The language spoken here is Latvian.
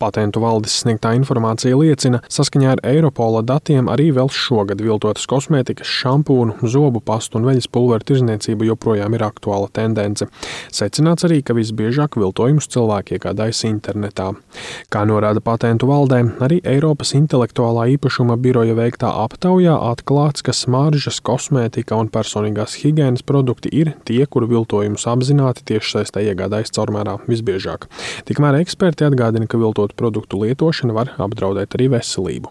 Patentu valdes sniegtā informācija liecina, saskaņā ar Eiropola datiem arī vēl šogad viltotas kosmētikas, šampūnu, zobu pastu un veļas pulveru tirdzniecība joprojām ir aktuāla tendence. Secināts arī, ka visbiežāk viltojumus cilvēki iegādājas internetā. Kā norāda patentu valdē, arī Eiropas intelektuālā īpašuma biroja veiktā aptaujā atklāts, ka smaržas, kosmētika un personīgās higienas produkti ir tie, kuru viltojumus apzināti tiešsaistē iegādājas caurmērā visbiežāk. Tikmēr eksperti atgādina, ka viltot produktu lietošana var apdraudēt arī veselību.